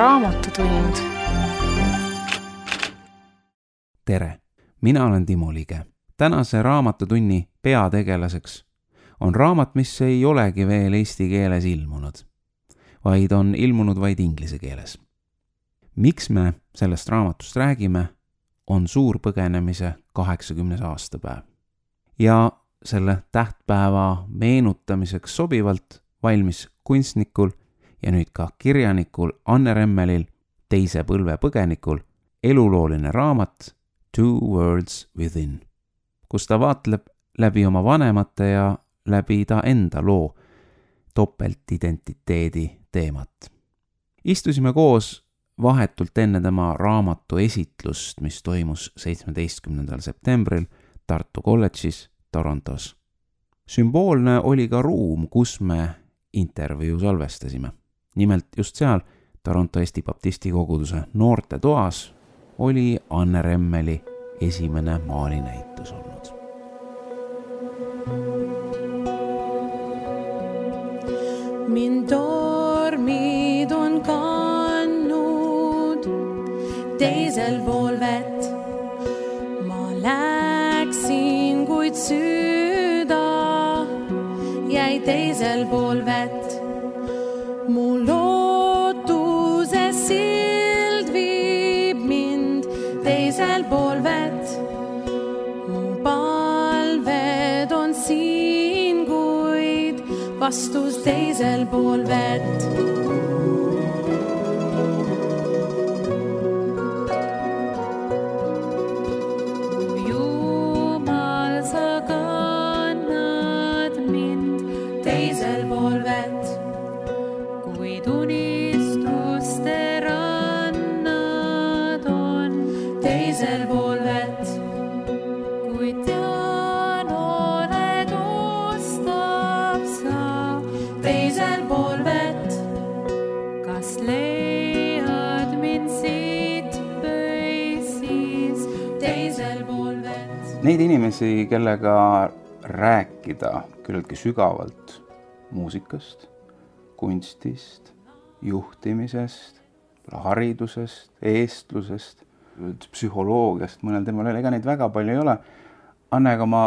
Raamatutund. Tere, mina olen Timo Lige. Tänase raamatutunni peategelaseks on raamat, mis ei olegi veel eesti keeles ilmunud, vaid on ilmunud vaid inglise keeles. Miks me sellest raamatust räägime, on suurpõgenemise 80. aastapäev. Ja selle tähtpäeva meenutamiseks sobivalt valmis kunstnikul ja nüüd ka kirjanikul Anne Remmelil, teise põlve põgenikul, elulooline raamat Two Worlds Within, kus ta vaatleb läbi oma vanemate ja läbi ta enda loo topeltidentiteedi teemat. Istusime koos vahetult enne tema raamatu esitlust, mis toimus 17. septembril Tartu kolledžis Torontos. Sümboolne oli ka ruum, kus me intervjuu salvestasime. Nimelt just seal Toronto Eesti Baptisti koguduse noorte toas oli Anne Remmeli esimene maalinäitus olnud. Min tormid on kandnud teisel pool vett. Ma läksin, kuid süda jäi teisel pool vett. Mu lootuse sild viib mind teisel pool vett. Mu palved on siin, kuid vastus teisel pool vett. Jumal, sa kannad mind teisel pool vett, kuid unistuste rannad on teisel pool vett. Kuid tean, oled ustab sa teisel pool vett. Kas leiad mind siit või siis teisel pool vett? Neid inimesi, kellega rääkida küllaltki sügavalt muusikast, kunstist, juhtimisest, haridusest, eestlusest, psühholoogiast, mõnel teemal, ega neid väga palju ei ole. Anne, aga ma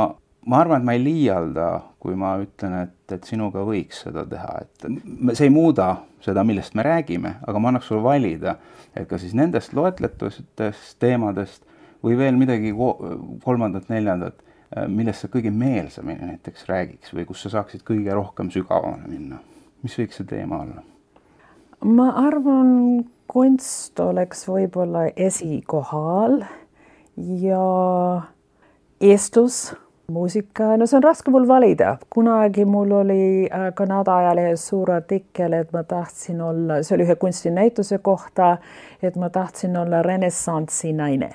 arvan, et ma ei liialda, kui ma ütlen, et sinuga võiks seda teha. Et see ei muuda seda, millest me räägime, aga ma annaks sulle valida, et ka siis nendest loetletustest teemadest või veel midagi kolmandat, neljandat, millest sa kõige meelsamini näiteks räägiks või kus sa saaksid kõige rohkem sügavamale minna. Mis võiks see teema olla? Ma arvan, kunst oleks võib-olla esikohal ja eestlus, muusika, no see on raske mul valida. Kunagi mul oli Kanada ajalehes suur artikkel, et ma tahtsin olla, see oli ühe kunstinäituse kohta, et ma tahtsin olla renessansi naine.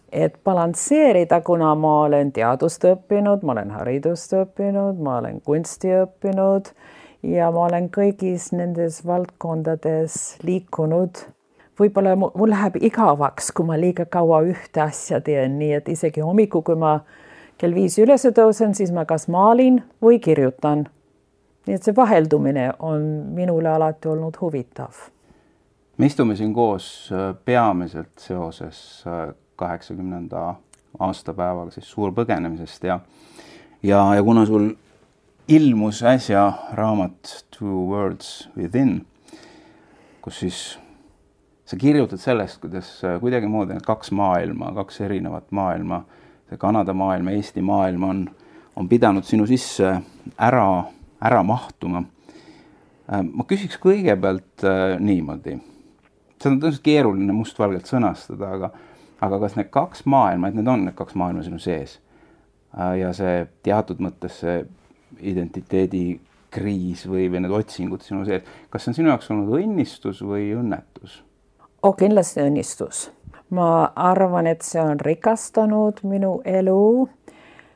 Et balansseerida, kuna ma olen teadust õppinud, ma olen haridust õppinud, ma olen kunsti õppinud ja ma olen kõigis nendes valdkondades liikunud. Võib-olla mul läheb igavaks, kui ma liiga kaua ühte asja teen, nii et isegi hommiku, kui ma kell 5 üles tõusen, siis ma kas maalin või kirjutan. Nii et see vaheldumine on minule alati olnud huvitav. Me istume siin koos peamiselt seoses 80. aastapäevaga, siis suurpõgenemisest ja kuna sul ilmus äsja raamat Two Worlds Within, kus siis sa kirjutad sellest, kuidas kuidagi moodi need kaks maailma, kaks erinevat maailma, see Kanada maailm ja Eesti maailm on pidanud sinu sisse ära mahtuma. Ma küsiks kõigepealt niimoodi. See on tõenäoliselt keeruline mustvalgelt sõnastada, aga kas need kaks maailma, et need on need kaks maailma sinu sees ja see teatud mõttes see identiteedikriis või need otsingud sinu sees, kas see on sinu jaoks olnud õnnistus või õnnetus? Kindlasti õnnistus. Ma arvan, et see on rikastanud minu elu.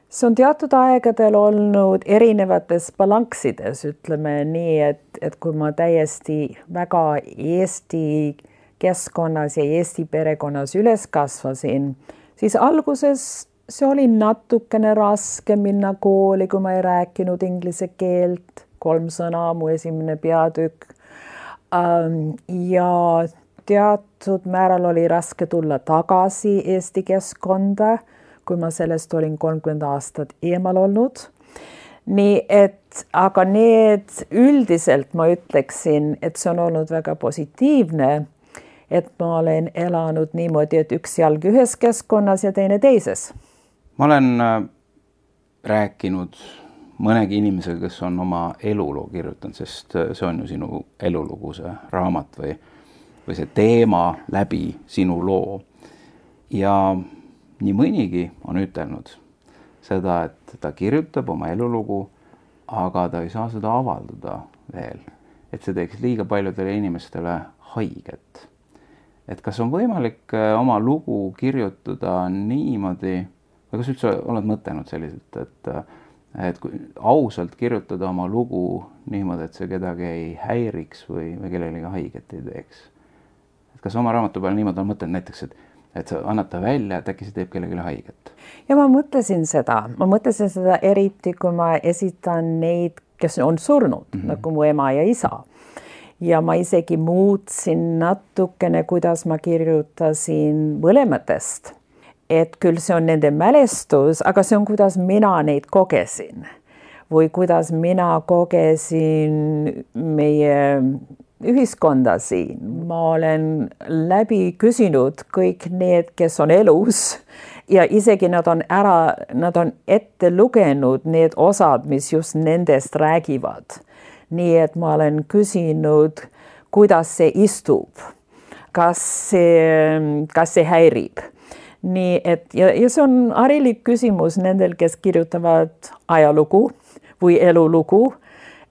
See on teatud aegadel olnud erinevates balanksides, ütleme nii, et kui ma täiesti väga Eesti keskkonnas ja Eesti perekonnas üles kasvasin, siis alguses see oli natukene raske minna kooli, kui ma ei rääkinud inglise keelt. 3 sõna, mu esimene peatükk. Ja teatud määral oli raske tulla tagasi Eesti keskkonda, kui ma sellest olin 30 aastat eemal olnud. Nii et, aga need üldiselt ma ütleksin, et see on olnud väga positiivne, et ma olen elanud niimoodi, et üks jalg ühes keskkonnas ja teine teises. Ma olen rääkinud mõnegi inimesega, kes on oma eluloo kirjutanud, sest see on ju sinu elulugu, see raamat või see teema läbi sinu loo. Ja nii mõnigi on ütelnud seda, et ta kirjutab oma elulugu, aga ta ei saa seda avaldada veel. Et see teeks liiga paljudele inimestele haiget. Et kas on võimalik oma lugu kirjutada niimoodi, või kas üldse oled mõtelnud selliselt, et kui ausalt kirjutada oma lugu niimoodi, et see kedagi ei häiriks või kellelegi haiget ei teeks? Et kas oma raamatu peal niimoodi on mõtelnud näiteks, et sa annad ta välja, et äkki see teeb kellelegi haiget? Ja ma mõtlesin seda eriti, kui ma esitan neid, kes on surnud, nagu mu ema ja isa. Ja ma isegi muutsin natukene, kuidas ma kirjutasin mõlematest. Et küll see on nende mälestus, aga see on, kuidas mina neid kogesin. Või kuidas mina kogesin meie ühiskonda siin. Ma olen läbi küsinud kõik need, kes on elus ja isegi nad on ette lugenud need osad, mis just nendest räägivad. Nii et ma olen küsinud, kuidas see istub, kas see häirib. Nii et, ja see on harilik küsimus nendel, kes kirjutavad ajalugu või elulugu,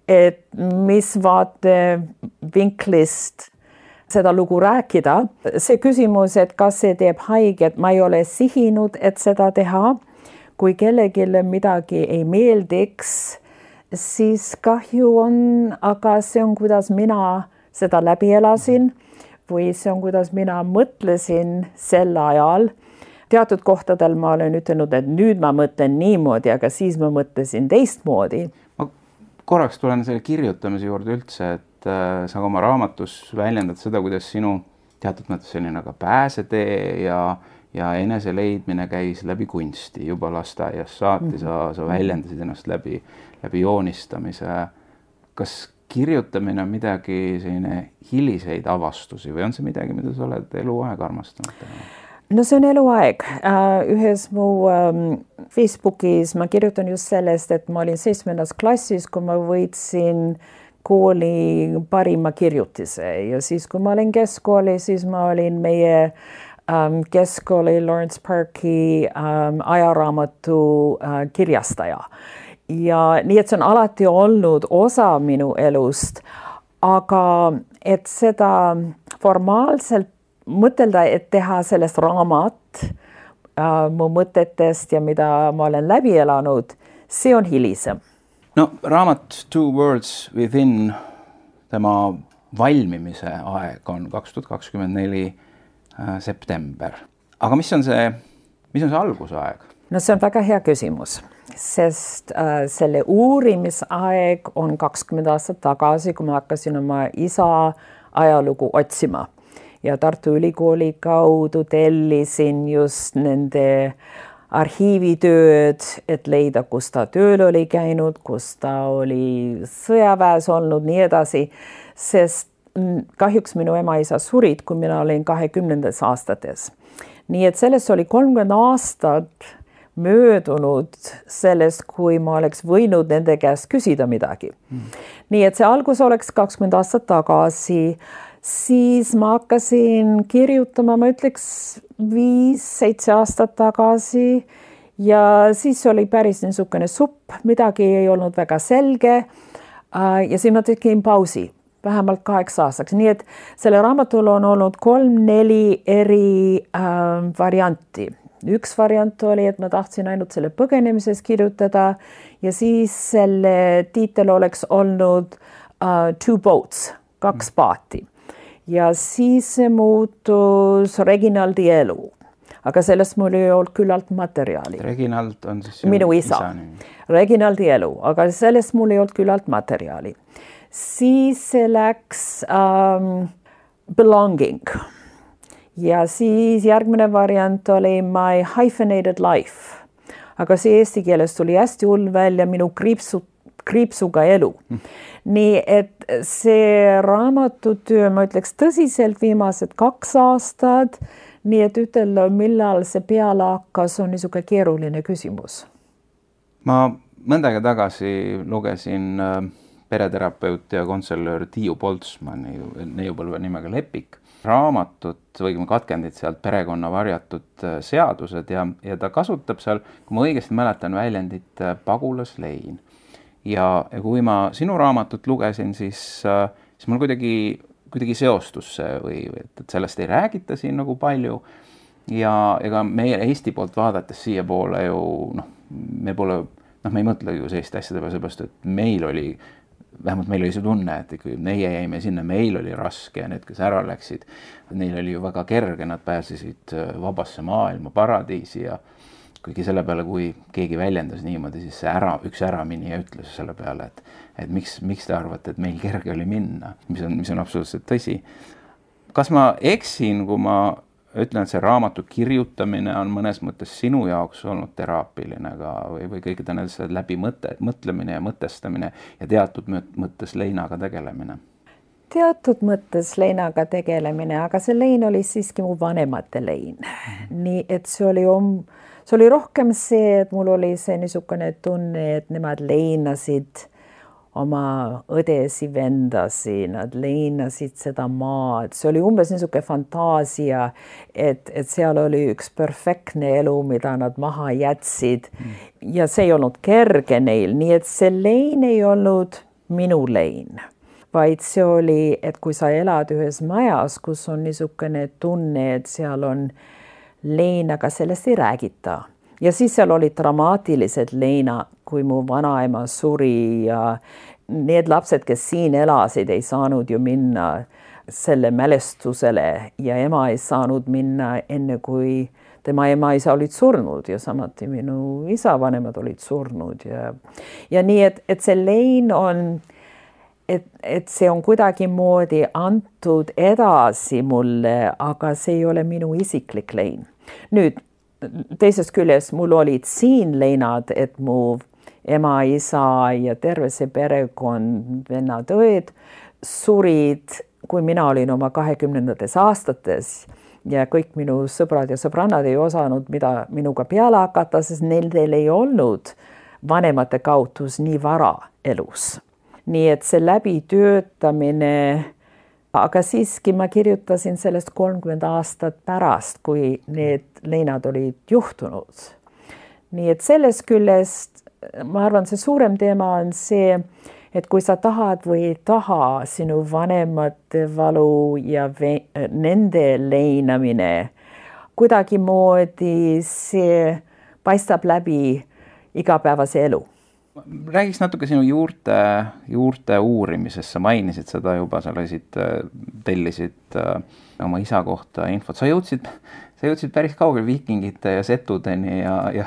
et mis vaatevinklist seda lugu rääkida. See küsimus, et kas see teeb haiget, ma ei ole sihinud, et seda teha. Kui kellelegi midagi ei meeldiks, siis kahju on, aga see on, kuidas mina seda läbi elasin või see on, kuidas mina mõtlesin sel ajal. Teatud kohtadel ma olen ütelnud, et nüüd ma mõtlen niimoodi, aga siis ma mõtlesin teistmoodi. Ma korraks tulen selle kirjutamise juurde üldse, et sa oma raamatus väljendad seda, kuidas sinu teatud mõttes selline aga pääsetee ja enese leidmine käis läbi kunsti juba lasteaias saati, sa väljendasid ennast läbi joonistamise. Kas kirjutamine on midagi selline hiliseid avastusi või on see midagi, mida sa oled eluaeg armastanud? No see on eluaeg. Ühes mu Facebookis ma kirjutan just sellest, et ma olin 7. klassis, kui ma võitsin kooli parima kirjutise ja siis, kui ma olin keskkooli, siis ma olin meie keskkooli Lawrence Parki ajaraamatu kirjastaja. Ja nii, et see on alati olnud osa minu elust, aga et seda formaalselt mõtelda, et teha sellest raamat mu mõtetest ja mida ma olen läbi elanud, see on hilisem. No raamat Two Worlds Within, tema valmimise aeg on 2024 september. Aga mis on see algusaeg? No see on väga hea küsimus, sest selle uurimisaeg on 20 aastat tagasi, kui ma hakkasin oma isa ajalugu otsima. Ja Tartu Ülikooli kaudu tellisin just nende arhiivitööd, et leida, kus ta tööl oli käinud, kus ta oli sõjaväes olnud, nii edasi. Sest kahjuks minu ema isa surid, kui mina olin 20. aastates. Nii et sellest oli 30 aastat möödunud sellest, kui ma oleks võinud nende käest küsida midagi. Nii et see algus oleks 20 aastat tagasi. Siis ma hakkasin kirjutama, ma ütleks 5-7 aastat tagasi ja siis oli päris niisugune supp, midagi ei olnud väga selge ja siis ma tegin pausi, vähemalt 8 aastaks. Nii et selle raamatul on olnud 3-4 eri varianti. Üks variant oli, et ma tahtsin ainult selle põgenemises kirjutada ja siis selle tiitel oleks olnud Two Boats, 2 paati. Ja siis see muutus Reginaldi elu. Aga sellest mul ei olnud küllalt materjali. Reginald on siis minu isa. Reginaldi elu, aga sellest mul ei olnud küllalt materjali. Siis see läks belonging. Ja siis järgmine variant oli my hyphenated life. Aga see eesti keeles tuli hästi hull välja minu kriipsuga elu. Nii et see raamatutöö, ma ütleks tõsiselt viimased 2 aastat, nii et ütelda, millal see peale hakkas, on niisugune keeruline küsimus. Ma mõnda aega tagasi lugesin pereterapeut ja konselöör Tiiu Poltsmani neiupõlve nimega Lepik raamatut või katkendid sealt Perekonna varjatud seadused ja ta kasutab seal, kui ma õigesti mäletan, väljendit pagulaslein. Ja kui ma sinu raamatut lugesin, siis mul kuidagi seostus see või et sellest ei räägita siin nagu palju ja ega meie Eesti poolt vaadates siia poole ju me ei mõtle ju sellist asjade peale seepärast, et vähemalt meil oli see tunne, et kui meie jäime sinna, meil oli raske ja need, kes ära läksid, neil oli ju väga kerge, nad pääsesid vabasse maailma, paradiisi ja kuigi selle peale, kui keegi väljendas niimoodi, siis üks äraminija ütles selle peale, et miks te arvate, et meil kerge oli minna, mis on absoluutselt tõsi. Kas ma eksin, kui ma ütlen, et see raamatu kirjutamine on mõnes mõttes sinu jaoks olnud teraapiline või kõikide nendest läbi mõtlemine ja mõtestamine ja teatud mõttes leinaga tegelemine? Teatud mõttes leinaga tegelemine, aga see lein oli siiski mu vanemate lein. Nii et see oli rohkem see, et mul oli see niisugune tunne, et nemad leinasid oma õdesi, vendasi, nad leinasid seda maad. See oli umbes niisugune fantaasia, et seal oli üks perfektne elu, mida nad maha jätsid. Ja see ei olnud kerge neil, nii et see lein ei olnud minu lein. Vaid see oli, et kui sa elad ühes majas, kus on niisugune tunne, et seal on lein, aga sellest ei räägita. Ja siis seal oli dramaatilised leina, kui mu vanaema suri ja need lapsed, kes siin elasid, ei saanud ju minna selle mälestusele ja ema ei saanud minna enne, kui tema ema isa olid surnud ja samuti minu isa vanemad olid surnud. Ja nii, et see lein on, et see on kuidagi moodi antud edasi mulle, aga see ei ole minu isiklik lein. Nüüd, teisest küljest mul olid siin leinad, et mu ema, isa ja terve see perekond, vennad, õed surid, kui mina olin oma 20. aastates ja kõik minu sõbrad ja sõbrannad ei osanud mida minuga peale hakata, sest neil ei olnud vanemate kautus nii vara elus. Nii et see läbitöötamine, aga siiski ma kirjutasin sellest 30 aastat pärast, kui need leinad olid juhtunud. Nii et sellest küljest, ma arvan, see suurem teema on see, et kui sa tahad või ei taha, sinu vanemate valu ja nende leinamine, kuidagi moodi see paistab läbi igapäevase elu. Räägiks natuke sinu juurte uurimisest, sa mainisid seda juba, sa tellisid oma isa kohta infot, sa jõudsid päris kaugel viikingite ja setudeni ja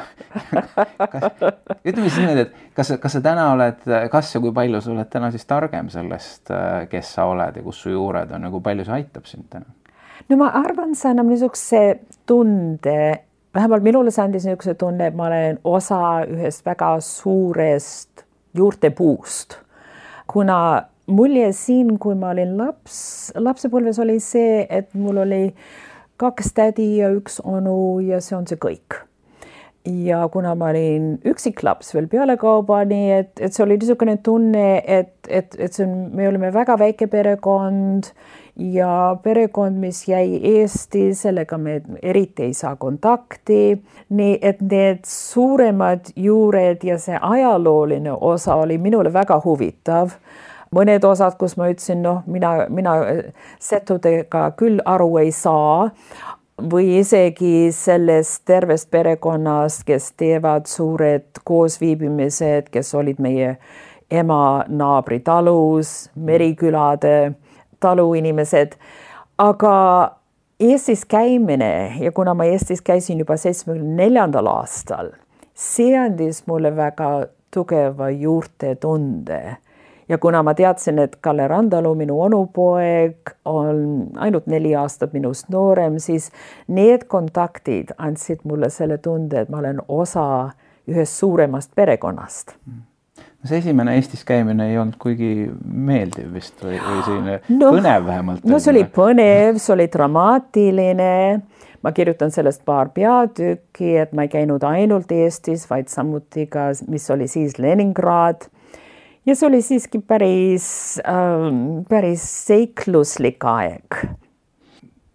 ütleme siis niimoodi, et kas sa täna oled, kas ja kui palju sa oled täna siis targem sellest, kes sa oled ja kus su juured on ja kui palju see aitab sind täna? No ma arvan, see annab niisuguse tunde, vähemalt minule see andis niisuguse tunne, et ma olen osa ühest väga suurest juurtepuust. Kuna mulje siin, kui ma olin lapsepõlves oli see, et mul oli 2 tädi ja 1 onu ja see on see kõik. Ja kuna ma olin üksiklaps veel pealekauba, nii et see oli niisugune tunne, et me olime väga väike perekond ja perekond, mis jäi Eesti, sellega me eriti ei saa kontakti. Nii et need suuremad juured ja see ajalooline osa oli minule väga huvitav. Mõned osad, kus ma ütlesin, mina setudega küll aru ei saa või isegi sellest tervest perekonnast, kes teevad suured koosviibimised, kes olid meie ema naabri talus, Merikülade taluinimesed. Aga Eestis käimine ja kuna ma Eestis käisin juba 74. aastal, see andis mulle väga tugeva juurte tunde. Ja kuna ma teadsin, et Kalle Randalu, minu onupoeg, on ainult 4 aastat minust noorem, siis need kontaktid andsid mulle selle tunde, et ma olen osa ühest suuremast perekonnast. See esimene Eestis käimine ei olnud kuigi meeldiv vist või selline põnev vähemalt? No see oli põnev, see oli dramaatiline. Ma kirjutan sellest paar peatükki, et ma ei käinud ainult Eestis, vaid samuti ka, mis oli siis Leningrad. Ja see oli siiski päris seikluslik aeg.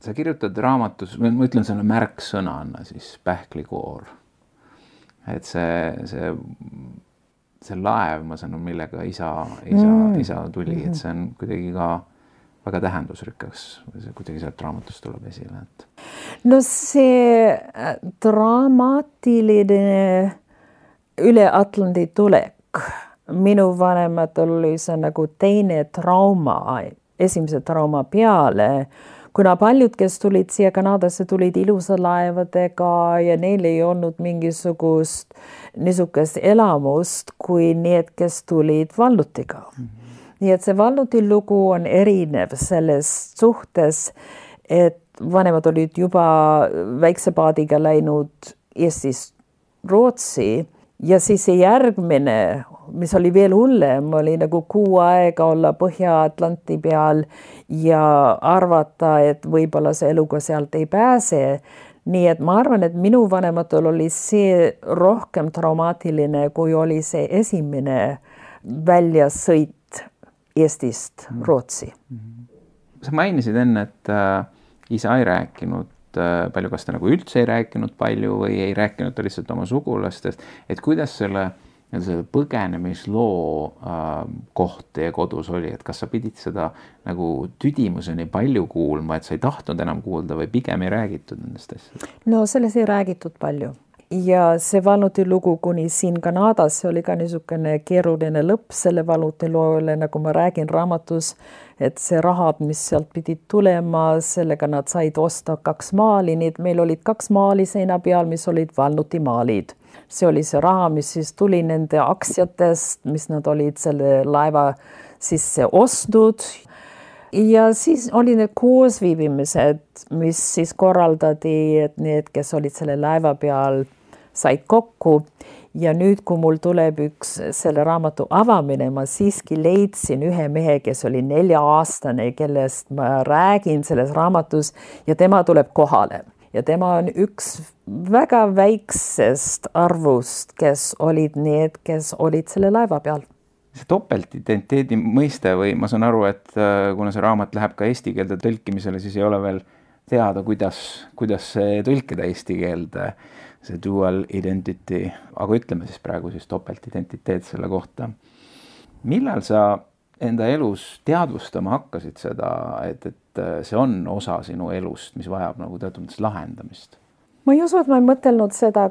Sa kirjutad raamatus, ma ütlen selle märksõnana siis pähklikoor. Et see laev, ma sanon, millega isa tuli, et see on kuidagi ka väga tähendusrikas, see kuidagi sealt raamatust tuleb esile. Et... No see dramaatiline üle Atlandi tulek. Minu vanematel oli see nagu teine trauma, esimese trauma peale, kuna paljud, kes tulid siia Kanadasse, tulid ilusa laevadega ja neil ei olnud mingisugust niisugust elamust kui need, kes tulid vallutiga. Nii et see valluti lugu on erinev selles suhtes, et vanemad olid juba väikse paadiga läinud Eestist Rootsi ja siis see järgmine, mis oli veel hullem, oli nagu 6 aega olla Põhja-Atlanti peal ja arvata, et võib-olla see eluga sealt ei pääse. Nii et ma arvan, et minu vanematel oli see rohkem traumaatiline, kui oli see esimene väljasõit Eestist Rootsi. Sa mainisid enne, et isa ei rääkinud palju, kas ta nagu üldse ei rääkinud palju või ei rääkinud ta lihtsalt oma sugulastest, et kuidas selle põgenemisloo koht teie kodus oli, et kas sa pidid seda nagu tüdimuseni palju kuulma, et sa ei tahtnud enam kuulda või pigem ei räägitud nendest asjadest? No selles ei räägitud palju. Ja see valluti lugu kuni siin Kanadas, see oli ka niisugune keeruline lõpp selle valluti loole, nagu ma räägin raamatus, et see rahad, mis sealt pidid tulema, sellega nad said osta 2 maali, nii et meil olid 2 maali seina peal, mis olid valluti maalid. See oli see raha, mis siis tuli nende aktsiatest, mis nad olid selle laeva sisse ostnud. Ja siis oli need koosviibimised, mis siis korraldati, et need, kes olid selle laeva peal, said kokku. Ja nüüd, kui mul tuleb üks selle raamatu avamine, ma siiski leidsin ühe mehe, kes oli 4-aastane, kellest ma räägin selles raamatus ja tema tuleb kohale. Ja tema on üks väga väiksest arvust, kes olid need, kes olid selle laeva peal. See topeltidentiteedi mõiste või ma saan aru, et kuna see raamat läheb ka eesti keelde tõlkimisele, siis ei ole veel teada, kuidas see tõlkida eesti keelde, see dual identity, aga ütleme siis praegu siis topeltidentiteet selle kohta. Millal sa enda elus teadvustama hakkasid seda, et see on osa sinu elust, mis vajab nagu teatud mõttes lahendamist? Ma ei usu, et ma ei mõtelnud seda,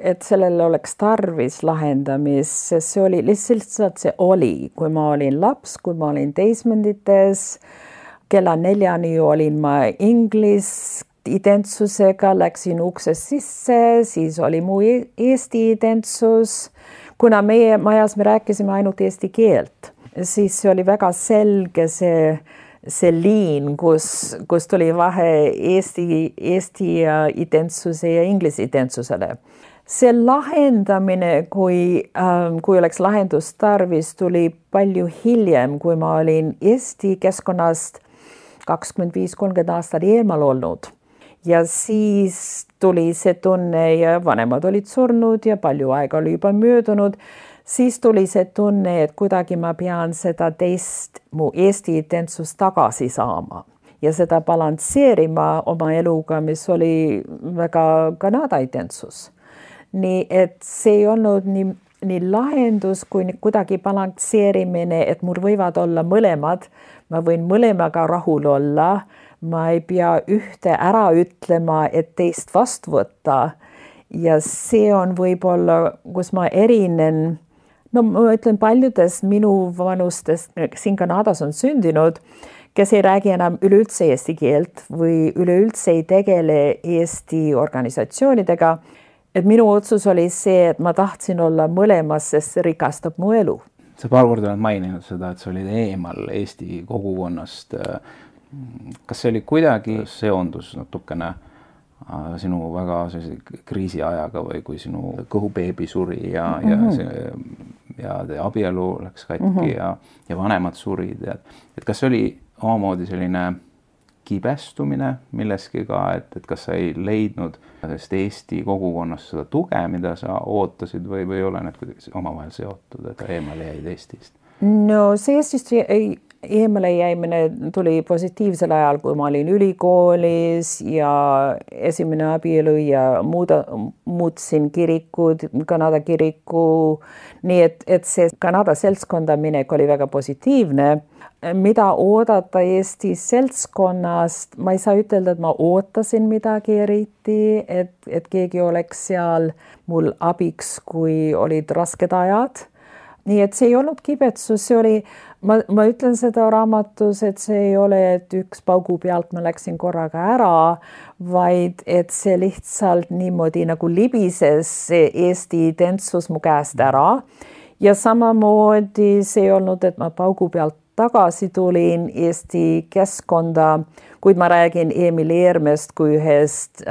et sellele oleks tarvis lahendamist, sest see oli lihtsalt see oli, kui ma olin laps, kui ma olin teismendites, kella 4 olin ma identsusega, läksin uksest sisse, siis oli mu Eesti identsus. Kuna meie majas me rääkisime ainult eesti keelt, siis see oli väga selge see liin, kus tuli vahe Eesti identsuse ja inglise identsusele. See lahendamine, kui oleks lahendust tarvis, tuli palju hiljem, kui ma olin Eesti keskkonnast 25-30 aastat eemal olnud. Ja siis tuli see tunne ja vanemad olid surnud ja palju aega oli juba möödunud. Siis tuli see tunne, et kuidagi ma pean seda mu Eesti identsust tagasi saama ja seda balansseerima oma eluga, mis oli väga Kanada identsus. Nii et see ei olnud nii lahendus kui kuidagi balansseerimine, et mul võivad olla mõlemad. Ma võin mõlemaga rahul olla. Ma ei pea ühte ära ütlema, et teist vastu võtta. Ja see on võib-olla, kus ma erinen. No ma ütlen paljudest minu vanustest, siin Kanadas on sündinud, kes ei räägi enam üleüldse eesti keelt või üleüldse ei tegele Eesti organisatsioonidega. Et minu otsus oli see, et ma tahtsin olla mõlemas, sest see rikastab mu elu. sa paar korda oled maininud seda, et sa olid eemal Eesti kogukonnast. Kas see oli kuidagi seondus natukene sinu väga kriisiajaga või kui sinu kõhubeebi suri ja te abielu läks katki ja vanemad surid, et kas see oli omamoodi selline kibestumine milleski ka, et kas sa ei leidnud sellest Eesti kogukonnast seda tuge, mida sa ootasid või ei ole need kuidagi omavahel seotud, et eemale jäid Eestist? No see Eestist eemale jäimine tuli positiivsel ajal, kui ma olin ülikoolis ja esimene abielu ja muutsin kirikud, Kanada kiriku, nii et see Kanada seltskonda minek oli väga positiivne. Mida oodata Eesti seltskonnast, ma ei saa ütelda, et ma ootasin midagi eriti, et keegi oleks seal mul abiks, kui olid rasked ajad. Nii et see ei olnud kibetsus, see oli, ma ütlen seda raamatus, et see ei ole, et üks paugu pealt ma läksin korraga ära, vaid et see lihtsalt niimoodi nagu libises see Eesti identsus mu käest ära. Ja samamoodi see ei olnud, et ma paugu pealt tagasi tulin Eesti keskkonda, kuid ma räägin Emil Eermest kui ühest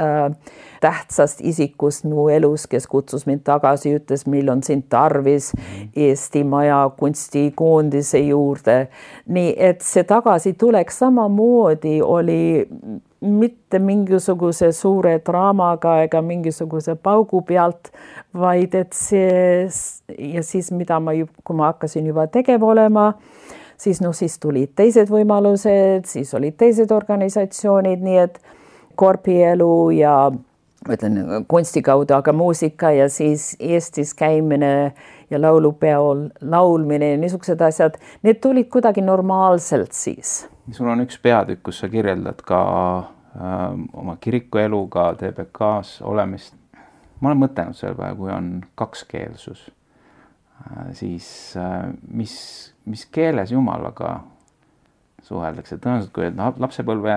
tähtsast isikust mu elus, kes kutsus mind tagasi, ütles, mil on sind tarvis Eesti Maja kunstikoondise juurde. Nii et see tagasi tuleks samamoodi oli mitte mingisuguse suure draamaga ega mingisuguse paugu pealt, vaid et see ja siis mida kui ma hakkasin juba tegev olema, siis tulid teised võimalused, siis olid teised organisatsioonid, nii et korpielu ja ütlen kunsti kaudu, aga muusika ja siis Eestis käimine ja laulupeol laulmine ja niisugused asjad, need tulid kuidagi normaalselt siis. Sul on üks peatükk, kus sa kirjeldad ka oma kirikueluga TBK-s olemist. Ma olen mõtelnud selle peale, kui on kakskeelsus, siis mis keeles Jumalaga suheldakse. Tõenäoliselt, kui lapsepõlve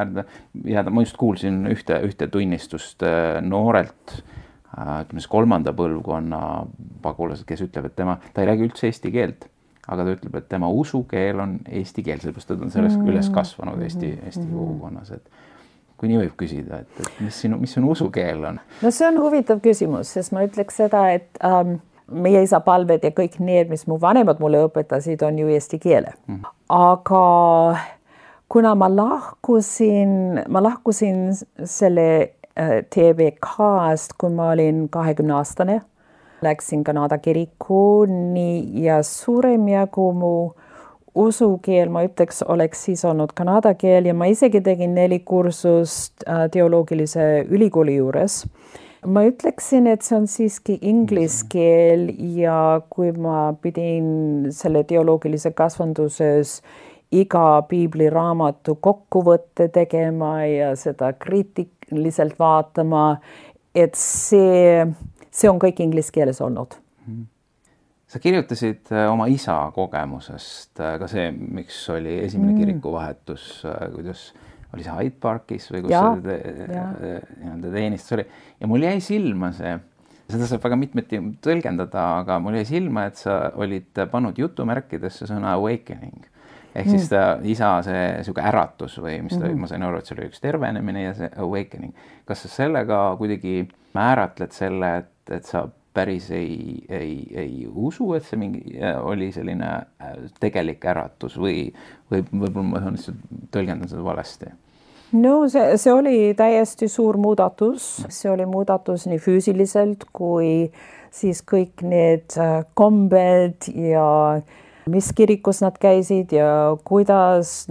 jääda, ma just kuulsin ühte tunnistust noorelt, ütleme 3. põlvkonna pagulased, kes ütleb, et ta ei räägi üldse eesti keelt, aga ta ütleb, et tema usukeel on eesti keel, sellepärast ta on sellest üles kasvanud Eesti kogukonnas. Kui nii võib küsida, et mis sinu usukeel on? No see on huvitav küsimus, sest ma ütleks seda, et meie isa palved ja kõik need, mis mu vanemad mulle õpetasid, on ju eesti keele. Aga kuna ma lahkusin selle TBK-st, kui ma olin 20-aastane, läksin Kanada kirikuni ja suurem jagu mu usukeel, ma ütleks, oleks siis olnud kanada keel ja ma isegi tegin 4 kursust teoloogilise ülikooli juures. Ma ütleksin, et see on siiski inglise keel ja kui ma pidin selle teoloogilise kasvanduses iga piibliraamatu kokkuvõtte tegema ja seda kriitiliselt vaatama, et see on kõik inglise keeles olnud. Sa kirjutasid oma isa kogemusest, ka see, miks oli esimene kirikuvahetus, kuidas oli see Hyde Parkis või kus see teenistus oli. Ja mul jäi silma seda saab väga mitmeti tõlgendada, aga mul jäi silma, et sa olid pannud jutumärkidesse sõna awakening. Ehk siis isa see äratus või mis ta, ma sain aru, et see oli üks tervenemine ja see awakening. Kas sa sellega kuidagi määratled selle, et sa päris ei usu, et see oli selline tegelik äratus või võib-olla ma tõlgendan seda valesti? No see oli täiesti suur muudatus. See oli muudatus nii füüsiliselt kui siis kõik need kombed ja mis kirikus nad käisid ja kuidas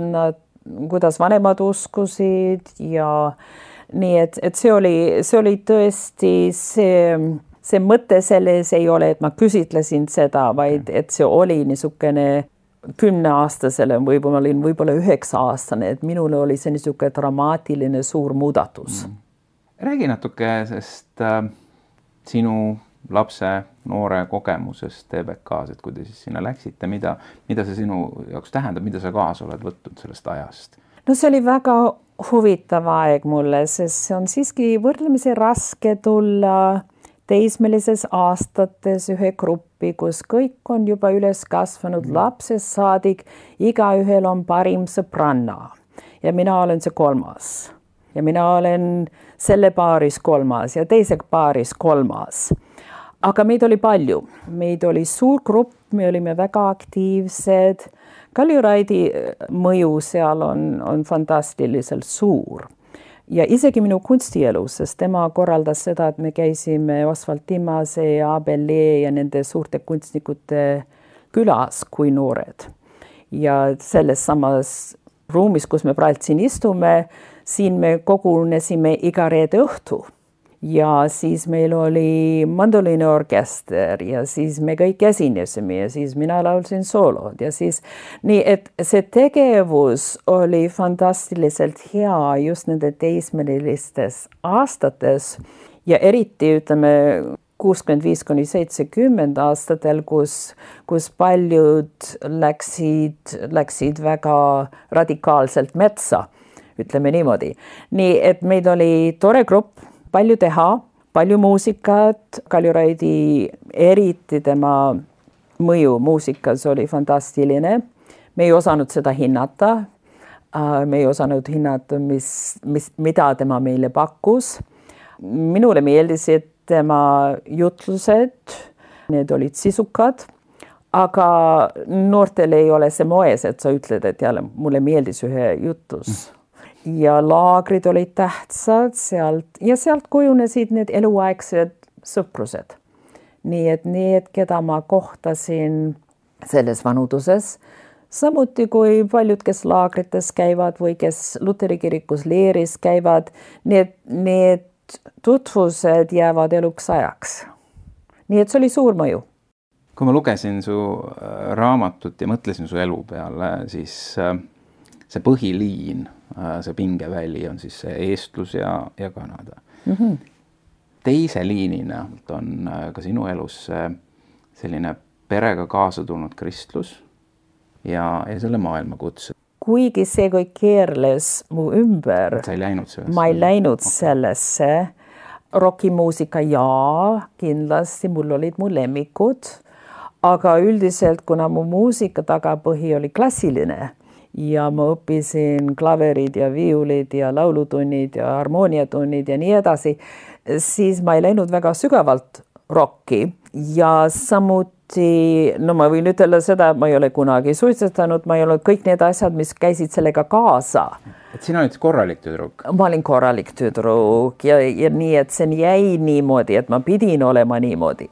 vanemad uskusid ja nii, et see oli tõesti see mõte selles ei ole, et ma küsitlesin seda, vaid et see oli niisugune 10-aastasele, võib-olla olin 9-aastane, et minule oli see niisugune dramaatiline suur muudatus. Räägi natuke sest sinu lapse noore kogemusest TBK-s, et kui te siis sinna läksite, mida see sinu jaoks tähendab, mida sa kaasa oled võtnud sellest ajast? No see oli väga huvitav aeg mulle, sest see on siiski võrdlemisi raske tulla teismelises aastates ühe gruppi, kus kõik on juba üles kasvanud lapsest saadik, igaühel on parim sõbranna ja mina olen see kolmas ja mina olen selle paaris kolmas ja teise paaris kolmas. Aga meid oli palju, meid oli suur grupp, me olime väga aktiivsed. Kaljuraidi mõju seal on fantastiliselt suur. Ja isegi minu kunstielus, sest tema korraldas seda, et me käisime Oswald Timmase ja Abel Lee ja nende suurte kunstnikute külas kui noored. Ja selles samas ruumis, kus me praegu siin istume, siin me kogunesime iga reede õhtu. Ja siis meil oli mandoliiniorkester ja siis me kõik esinesime ja siis mina laulsin soolod ja siis nii, et see tegevus oli fantastiliselt hea just nende teismelistes aastates ja eriti ütleme 65–70 aastatel, kus paljud läksid väga radikaalselt metsa, ütleme niimoodi. Nii, et meid oli tore grupp, palju teha, palju muusikat, Kaljuraidi eriti tema mõju muusikas oli fantastiline. Me ei osanud seda hinnata, me ei osanud hinnata, mida tema meile pakkus. Minule meeldisid tema jutlused, need olid sisukad, aga noortel ei ole see moes, et sa ütled, et jälle mulle meeldis ühe jutus. Ja laagrid olid tähtsad sealt kujunesid need eluaegsed sõprused. Nii et need, keda ma kohtasin selles vanuduses, samuti kui paljud, kes laagrites käivad või kes Luteri kirikus leeris käivad, need tutvused jäävad eluks ajaks. Nii et see oli suur mõju. Kui ma lugesin su raamatut ja mõtlesin su elu peale, siis see põhiliin, see pingeväli on siis see eestlus ja Kanada. Teise liinina on ka sinu elus selline perega kaasa tulnud kristlus ja selle maailmakutse. Kuigi see kõik keerles mu ümber, ma ei läinud sellesse. Rockimuusika kindlasti, mul olid mu lemmikud, aga üldiselt, kuna mu muusika tagapõhi oli klassiline, ja ma õppisin klaverid ja viiulid ja laulutunnid ja harmooniatunnid ja nii edasi, siis ma ei läinud väga sügavalt rocki ja samuti, ma võin ütelda seda, et ma ei ole kunagi suitsetanud, ma ei olnud kõik need asjad, mis käisid sellega kaasa. Et sina olid korralik tüdruk? Ma olin korralik tüdruk ja nii, et see jäi niimoodi, et ma pidin olema niimoodi.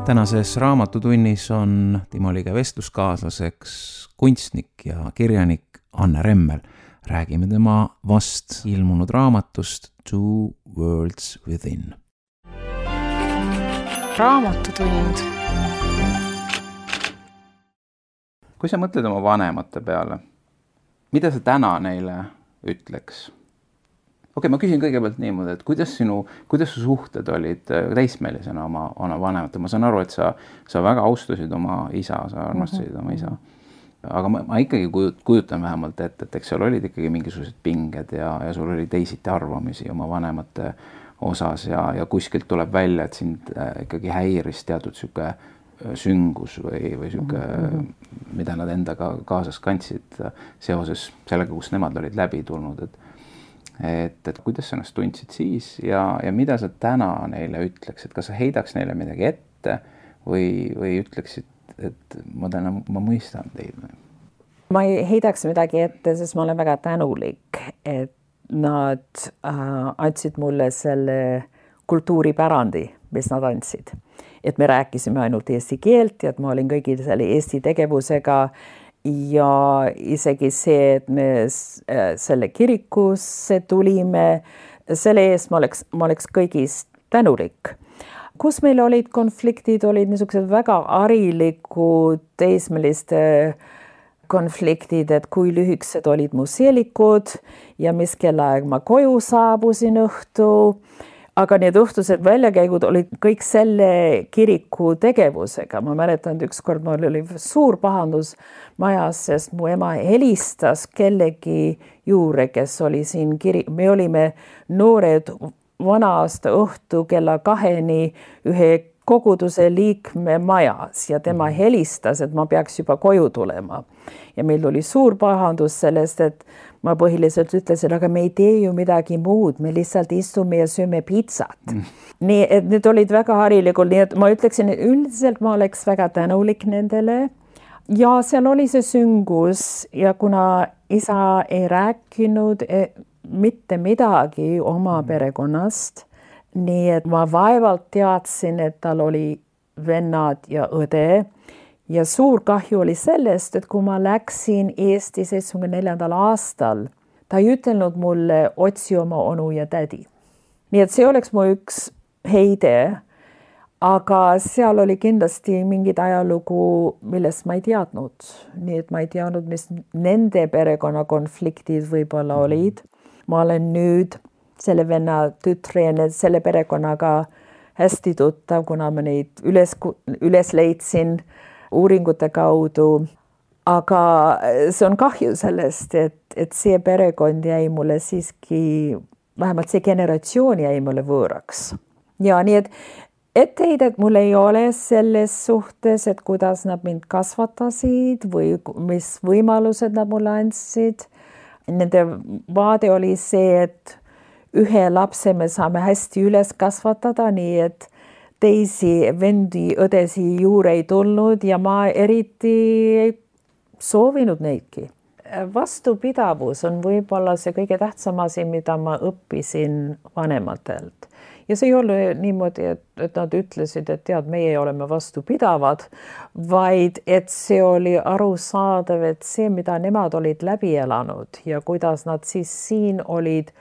Tänases raamatutunnis on Timo Lige vestluskaaslaseks kunstnik ja kirjanik Anne Remmel. Räägime tema vast ilmunud raamatust Two Worlds Within. Raamatutund. Kui sa mõtled oma vanemate peale, mida sa täna neile ütleks? Okei, ma küsin kõigepealt niimoodi, et kuidas su suhted olid täismeelisena oma vanemate? Ma saan aru, et sa väga austasid oma isa, sa armastasid oma isa. Aga ma ikkagi kujutan vähemalt, et eks seal olid ikkagi mingisugused pinged ja sul oli teisiti arvamisi oma vanemate osas ja kuskilt tuleb välja, et sind ikkagi häiris teatud süke süngus või süke, mida nad endaga kaasas kandsid seoses sellega, kus nemad olid läbi tulnud, et kuidas sa ennast tundsid siis ja mida sa täna neile ütleksid, kas sa heidaks neile midagi ette või ütleksid, et ma mõistan teid? Ma ei heidaks midagi ette, sest ma olen väga tänulik, et nad andsid mulle selle kultuuripärandi, mis nad andsid. Et me rääkisime ainult eesti keelt ja et ma olin kõigil selle eesti tegevusega ja isegi see, et me selle kirikusse tulime, selle eest ma oleks kõigist tänulik. Kus meil olid konfliktid, olid niisugused väga harilikud teismeliste konfliktid, et kui lühikesed olid mu seelikud ja mis kellaaeg ma koju saabusin õhtu. Aga need õhtused väljakäigud olid kõik selle kiriku tegevusega. Ma mäletan, et ükskord mul oli suur pahandus majas, sest mu ema helistas kellegi juurde, kes oli siin me olime noored vana aasta õhtu kella 2 ühe koguduse liikme majas ja tema helistas, et ma peaks juba koju tulema. Ja meil oli suur pahandus sellest, et ma põhiliselt ütlesin, aga me ei tee ju midagi muud, me lihtsalt istume ja sööme pizzat. Nii, et need olid väga harilikud, nii et ma ütleksin, et üldiselt ma oleks väga tänulik nendele. Ja seal oli see süngus ja kuna isa ei rääkinud mitte midagi oma perekonnast, nii et ma vaevalt teadsin, et tal oli vennad ja õde. Ja suur kahju oli sellest, et kui ma läksin Eesti 74. aastal, ta ei ütelnud mulle otsi oma onu ja tädi. Nii et see oleks mu üks heide, aga seal oli kindlasti mingid ajalugu, millest ma ei teadnud. Nii et ma ei teadnud, mis nende perekonnakonfliktid võib-olla olid. Ma olen nüüd selle venna tütre ja selle perekonnaga hästi tuttav, kuna ma neid üles leidsin uuringute kaudu, aga see on kahju sellest, et see perekond jäi mulle siiski, vähemalt see generatsioon jäi mulle võõraks. Ja nii, et etteheidet mul ei ole selles suhtes, et kuidas nad mind kasvatasid või mis võimalused nad mulle andsid. Nende vaade oli see, et ühe lapse me saame hästi üles kasvatada, nii et teisi vendi, õdesi juurde ei tulnud ja ma eriti ei soovinud neidki. Vastupidavus on võib-olla see kõige tähtsam asi, mida ma õppisin vanematelt. Ja see ei ole niimoodi, et nad ütlesid, et tead, meie oleme vastupidavad, vaid et see oli arusaadav, et see, mida nemad olid läbi elanud ja kuidas nad siis siin olid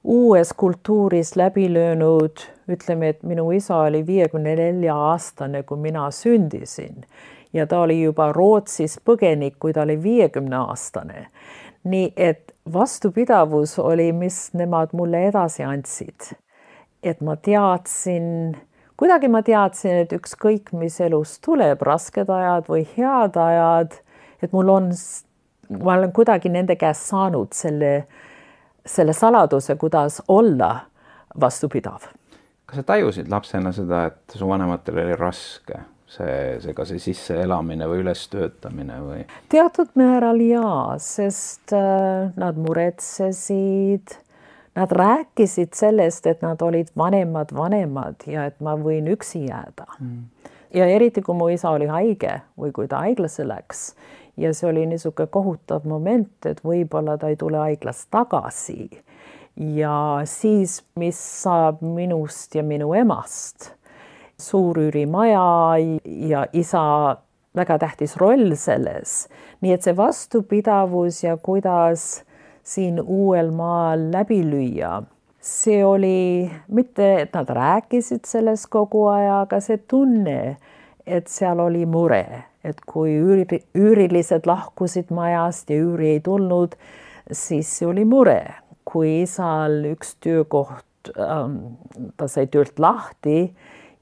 uues kultuuris läbi löönud, ütleme, et minu isa oli 54-aastane, kui mina sündisin ja ta oli juba Rootsis põgenik, kui ta oli 50-aastane. Nii et vastupidavus oli, mis nemad mulle edasi andsid. Et ma teadsin, et ükskõik mis elus tuleb, rasked ajad või head ajad, et ma olen kuidagi nende käest saanud selle saladuse, kuidas olla vastupidav. Kas sa tajusid lapsena seda, et su vanematel oli raske ka see sisseelamine või ülestöötamine või? Teatud määral jaa, sest nad muretsesid, nad rääkisid sellest, et nad olid vanemad ja et ma võin üksi jääda. Ja eriti, kui mu isa oli haige või kui ta haiglasse läks. Ja see oli niisugune kohutav moment, et võib-olla ta ei tule haiglast tagasi. Ja siis, mis saab minust ja minu emast. Suur üürimaja ja isa väga tähtis roll selles. Nii et see vastupidavus ja kuidas siin uuel maal läbi lüüa. See oli mitte, et nad rääkisid sellest kogu aja, aga see tunne, et seal oli mure. Et kui üürilised lahkusid majast ja üüri ei tulnud, siis see oli mure. Kui isal üks töökoht, ta sai töölt lahti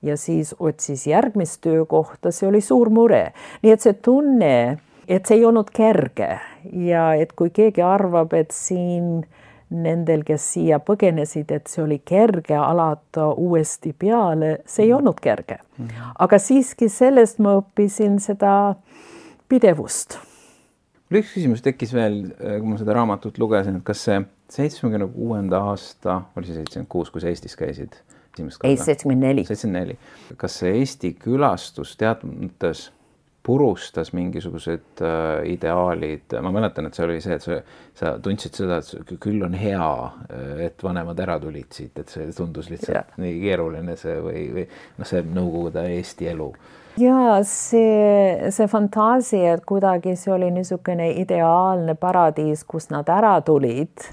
ja siis otsis järgmist töökohta, see oli suur mure. Nii et see tunne, et see ei olnud kerge ja et kui keegi arvab, et siin nendel, kes siia põgenesid, et see oli kerge alata uuesti peale, see ei olnud kerge. Aga siiski sellest ma õppisin seda pidevust. Üks küsimus tekkis veel, kui ma seda raamatut lugesin, et kas see 76. aasta, oli see 76, kui sa Eestis käisid? Ei, 74. 74. Kas see Eesti külastus teatud mõttes purustas mingisugused ideaalid? Ma mäletan, et see oli see, et sa tundsid seda, et küll on hea, et vanemad ära tulid siit, et see tundus lihtsalt nii keeruline see või see Nõukogude Eesti elu. Ja see fantaasia, et kuidagi see oli niisugune ideaalne paradiis, kus nad ära tulid,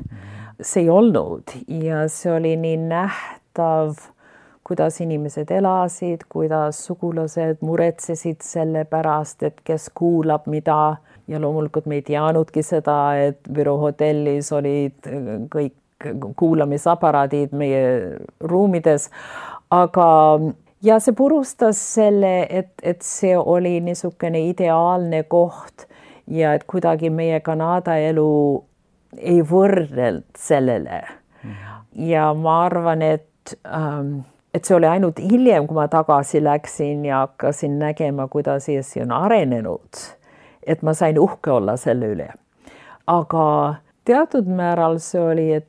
see ei olnud ja see oli nii nähtav, kuidas inimesed elasid, kuidas sugulased muretsesid selle pärast, et kes kuulab mida ja loomulikult me ei teadnudki seda, et Viru hotellis olid kõik kuulamisaparaadid meie ruumides, aga ja see purustas selle, et see oli niisugune ideaalne koht ja et kuidagi meie Kanada elu ei võrreld sellele. Ja ma arvan, et see oli ainult hiljem, kui ma tagasi läksin ja hakkasin nägema, kuidas Eesti on arenenud, et ma sain uhke olla selle üle. Aga teatud määral see oli, et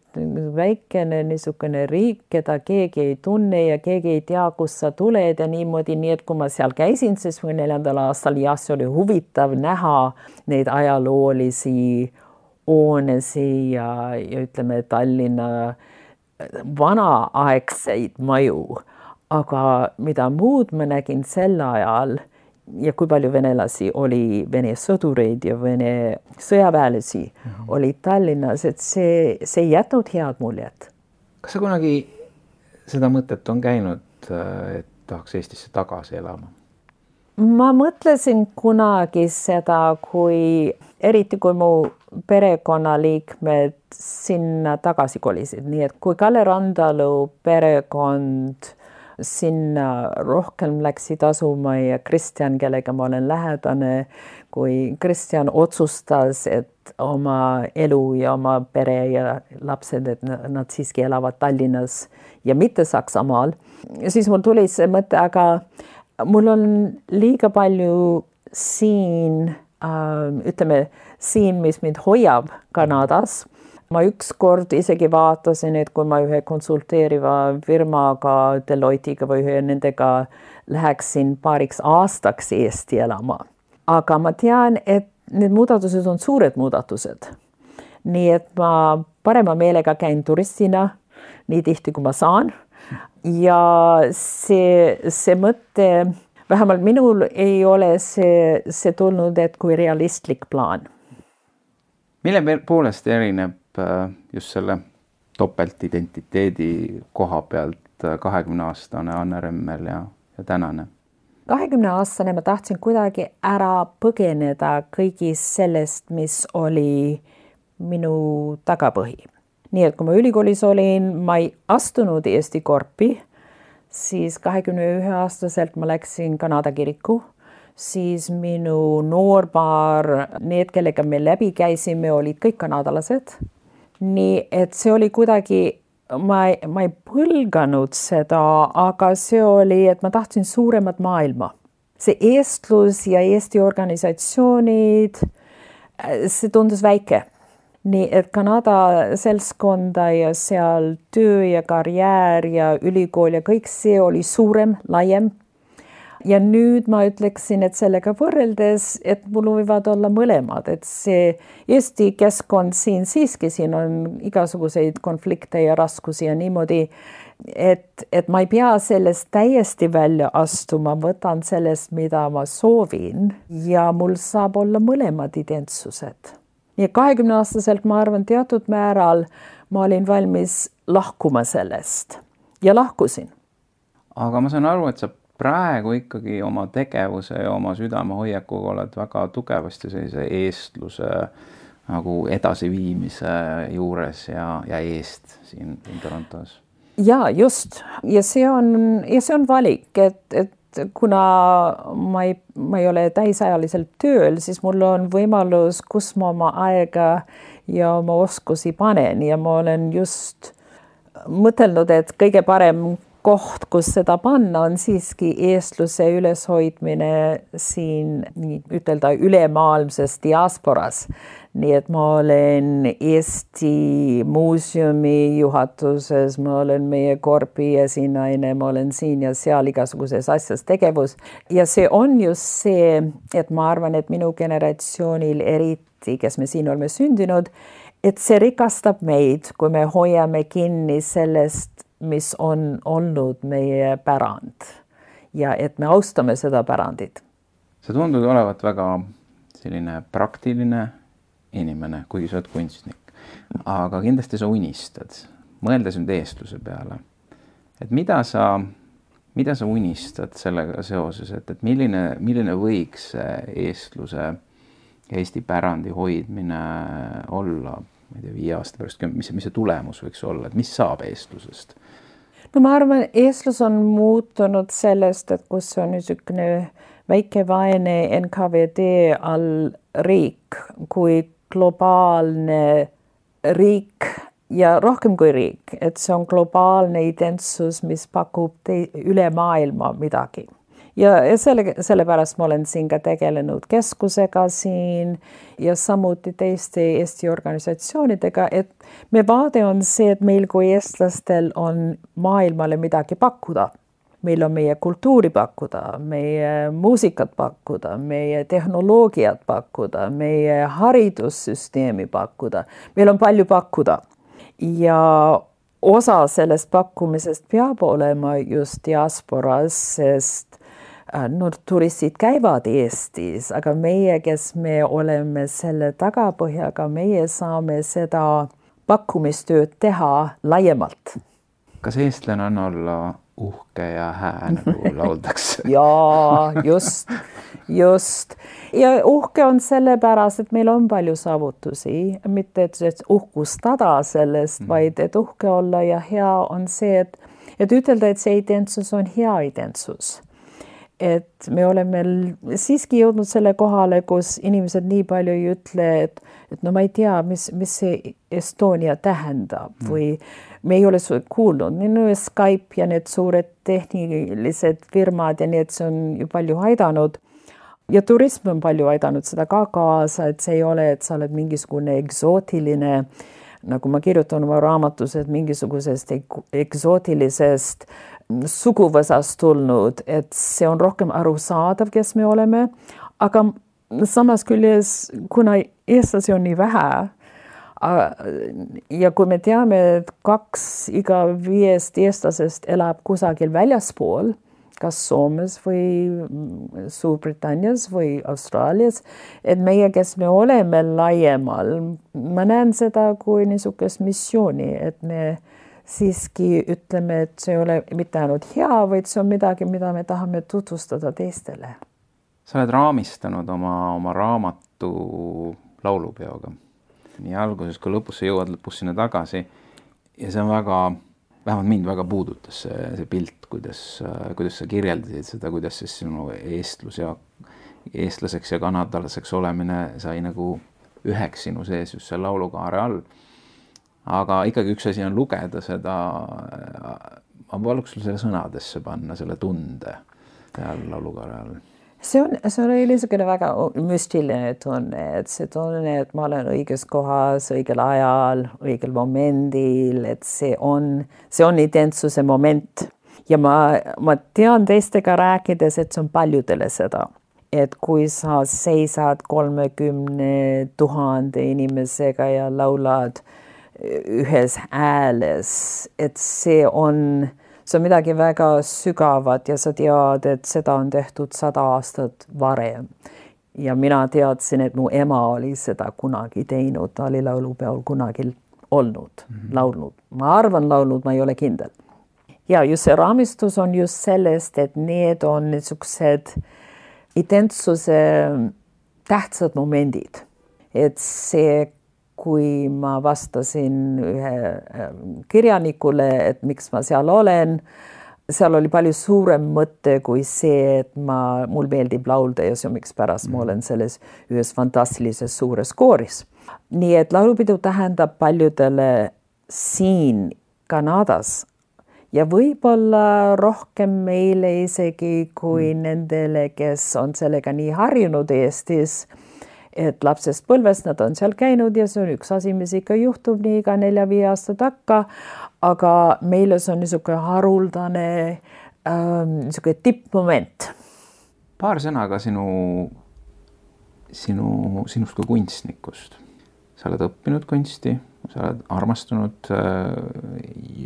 väikene niisugune riik, keda keegi ei tunne ja keegi ei tea, kust sa tuled ja niimoodi, nii et kui ma seal käisin 74. aastal, ja see oli huvitav näha neid ajaloolisi hoonesi ja ütleme Tallinna vanaaegseid maju, aga mida muud ma nägin sel ajal ja kui palju venelasi oli, Vene sõdureid ja Vene sõjaväelisi oli Tallinnas, et see ei jätnud head muljet. Kas sa kunagi seda mõtet on käinud, et tahaks Eestisse tagasi elama? Ma mõtlesin kunagi seda, eriti kui mu perekonnaliikmed sinna tagasi kolisid, nii et kui Kalle Randalu perekond sinna rohkem läksid asuma ja Kristjan, kellega ma olen lähedane, kui Kristjan otsustas, et oma elu ja oma pere ja lapsed, et nad siiski elavad Tallinnas ja mitte Saksamaal, siis mul tuli see mõte, aga mul on liiga palju siin, siin, mis mind hoiab Kanadas. Ma ükskord isegi vaatasin, et kui ma ühe konsulteeriva firmaga, Deloitte'iga või ühe nendega läheksin paariks aastaks Eesti elama. Aga ma tean, et need muudatused on suured muudatused. Nii et ma parema meelega käin turistina, nii tihti kui ma saan. Ja see mõte, vähemalt minul ei ole see tulnud, et kui realistlik plaan. Mille poolest erineb just selle topeltidentiteedi koha pealt 20-aastane Anne Remmel ja tänane? 20-aastane ma tahtsin kuidagi ära põgeneda kõigist sellest, mis oli minu tagapõhi. Nii et kui ma ülikoolis olin, ma ei astunud Eesti korpi, siis 21-aastaselt ma läksin Kanada kiriku, siis minu noorpaar, need, kellega me läbi käisime, olid kõik kanadalased. Nii et see oli kuidagi, ma ei põlganud seda, aga see oli, et ma tahtsin suuremat maailma. See eestlus ja Eesti organisatsioonid, see tundus väike. Nii et Kanada seltskonda ja seal töö ja karjäär ja ülikool ja kõik see oli suurem, laiem. Ja nüüd ma ütleksin, et sellega võrreldes, et mul võivad olla mõlemad, et see Eesti keskkond siiski siin on igasuguseid konflikte ja raskusi ja niimoodi, et ma ei pea sellest täiesti välja astuma, võtan sellest, mida ma soovin ja mul saab olla mõlemad identsused. Ja 20-aastaselt ma arvan teatud määral ma olin valmis lahkuma sellest ja lahkusin. Aga ma saan aru, et sa praegu ikkagi oma tegevuse ja oma südamehoiakuga oled väga tugevasti sellise eestluse nagu edasiviimise juures ja eest siin Torontos. Ja just. Ja see on valik, et kuna ma ei ole täisajaliselt tööl, siis mul on võimalus, kus ma oma aega ja oma oskusi panen ja ma olen just mõtelnud, et kõige parem koht, kus seda panna, on siiski eestluse üleshoidmine siin nii ütelda ülemaailmses diasporas. Nii et ma olen Eesti muuseumi juhatuses, ma olen meie korpi esinaine, ma olen siin ja seal igasuguses asjas tegevus. Ja see on just see, et ma arvan, et minu generatsioonil eriti, kes me siin oleme sündinud, et see rikastab meid, kui me hoiame kinni sellest, mis on olnud meie pärand ja et me austame seda pärandit. Sa tundud olevat väga selline praktiline inimene, kuigi sa oled kunstnik, aga kindlasti sa unistad, mõeldes nüüd eestluse peale, et mida sa unistad sellega seoses, et milline võiks eestluse, Eesti pärandi hoidmine olla, ma ei tea, 5 aasta pärast, mis see tulemus võiks olla, et mis saab eestlusest? No ma arvan, eestlus on muutunud sellest, et kus on niisugune väike vaene NKVD all riik, kui globaalne riik ja rohkem kui riik, et see on globaalne identsus, mis pakub üle maailma midagi. Ja sellepärast ma olen siin ka tegelenud keskusega siin ja samuti teiste Eesti organisatsioonidega, et me vaade on see, et meil kui eestlastel on maailmale midagi pakkuda. Meil on meie kultuuri pakkuda, meie muusikat pakkuda, meie tehnoloogiat pakkuda, meie haridussüsteemi pakkuda. Meil on palju pakkuda ja osa sellest pakkumisest peab olema just diasporas, sest turistid käivad Eestis, aga meie, kes me oleme selle tagapõhjaga, meie saame seda pakkumistööd teha laiemalt. Kas eestlane on olla uhke ja hää, nagu lauldakse? Jaa, just. Ja uhke on sellepärast, et meil on palju saavutusi, mitte et uhkustada sellest, vaid et uhke olla ja hea on see, et ütelda, et see identsus on hea identsus. Et me oleme siiski jõudnud selle kohale, kus inimesed nii palju ei ütle, et no ma ei tea, mis see Estonia tähendab või me ei ole kuulnud. Minu Skype ja need suured tehnilised firmad ja need see on ju palju aidanud. Ja turism on palju aidanud seda ka kaasa, et see ei ole, et sa oled mingisugune eksootiline, nagu ma kirjutan oma raamatus, et mingisugusest eksootilisest suguvõsast tulnud, et see on rohkem arusaadav, kes me oleme, aga samas küljes, kuna eestlasi on nii vähe ja kui me teame, et 2 iga 5 eestlasest elab kusagil väljaspool, kas Soomes või Suurbritannias või Austraalias, et meie, kes me oleme laiemal, ma näen seda kui niisugust missiooni, et me siiski ütleme, et see ei ole mitte ainult hea, vaid see on midagi, mida me tahame tutvustada teistele. Sa oled raamistanud oma raamatu laulupeoga. Nii alguses kui lõpus sa jõuad lõpus sinna tagasi ja see on vähemalt mind väga puudutas see pilt, kuidas sa kirjeldasid seda, kuidas siis sinu eestlaseks ja kanadalaseks olemine sai nagu üheks sinu sees just selle laulukaare all. Aga ikkagi üks asi on lugeda seda, ma paluks sul selle sõnadesse panna, selle tunde seal laulukaare all. See on niisugune väga müstiline tunne, et see tunne, et ma olen õiges kohas, õigel ajal, õigel momendil, et see on identsuse moment. Ja ma tean teistega rääkides, et see on paljudele seda. Et kui sa seisad 30 000 inimesega ja laulad ühes ääles, et see on midagi väga sügavat ja sa tead, et seda on tehtud 100 aastat varem. Ja mina teadsin, et mu ema oli seda kunagi teinud, ta oli laulupeol kunagi olnud, laulnud. Ma arvan laulnud, ma ei ole kindel. Ja just see raamistus on just sellest, et need on niisugused identsuse tähtsad momendid. Et see kui ma vastasin ühe kirjanikule, et miks ma seal olen, seal oli palju suurem mõte kui see, et mul meeldib laulda ja see miks pärast ma olen selles ühes fantastilises suures kooris. Nii et laulupidu tähendab paljudele siin Kanadas ja võib-olla rohkem meile isegi kui nendele, kes on sellega nii harjunud Eestis, et lapsest põlvest nad on seal käinud ja see on üks asi, mis ikka juhtub nii iga 4-5 aasta takka, aga meile see on niisugune haruldane niisugune tippmoment. Paar sõna ka sinust kui kunstnikust. Sa oled õppinud kunsti, sa oled armastunud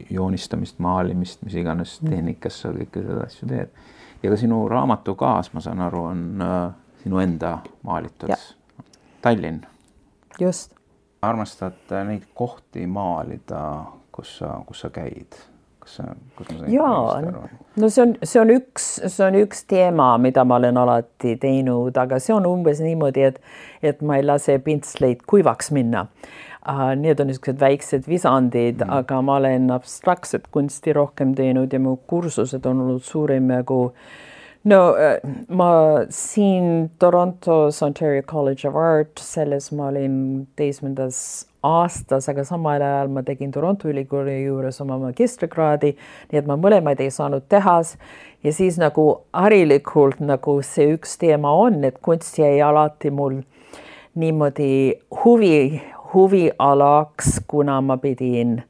joonistamist, maalimist, mis iganes tehnikas sa kõike seda asju teed. Ja ka sinu raamatu kaas, ma saan aru, on sinu enda maalitud. Tallinn. Just. Armastad neid kohti maalida, kus sa käid? Jaa, no see on üks teema, mida ma olen alati teinud, aga see on umbes niimoodi, et ma ei lase pintsleid kuivaks minna. Need on niisugused väiksed visandid, aga ma olen abstraktset kunsti rohkem teinud ja mu kursused on olnud suurem nagu ma siin Torontos Ontario College of Art, selles ma olin 7. aastas, aga samal ajal ma tegin Toronto ülikooli juures oma magistrikraadi, nii et ma mõlemaid ei saanud tehas ja siis nagu harilikult nagu see üks teema on, et kunst jäi alati mul niimoodi huvialaks, kuna ma pidin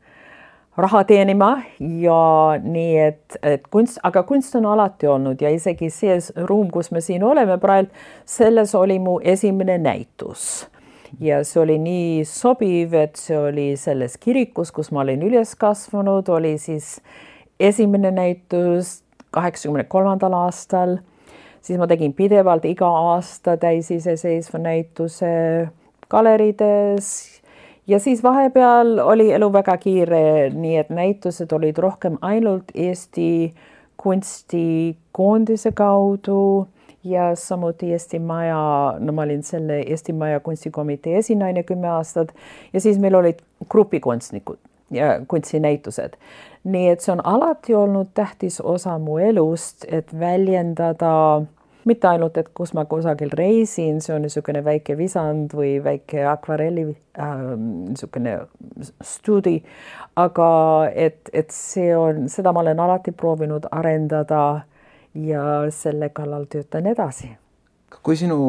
raha teenima ja nii, et kunst, aga kunst on alati olnud ja isegi see ruum, kus me siin oleme praegu, selles oli mu esimene näitus. Ja see oli nii sobiv, et see oli selles kirikus, kus ma olin üles kasvanud, oli siis esimene näitus 83. aastal. Siis ma tegin pidevalt iga aasta täisiseseisva näituse galerides. Ja siis vahepeal oli elu väga kiire, nii et näitused olid rohkem ainult Eesti kunstikoondise kaudu ja samuti Eesti Maja, ma olin selle Eesti Maja kunstikomitee esinaine 10 aastat ja siis meil olid grupikunstnikud ja kunstinäitused. Nii et see on alati olnud tähtis osa mu elust, et väljendada mitte ainult, et kus ma kusagil reisin, see on niisugune väike visand või väike akvarelli niisugune studi, aga et see on, seda ma olen alati proovinud arendada ja selle kallal töötan edasi. Kui sinu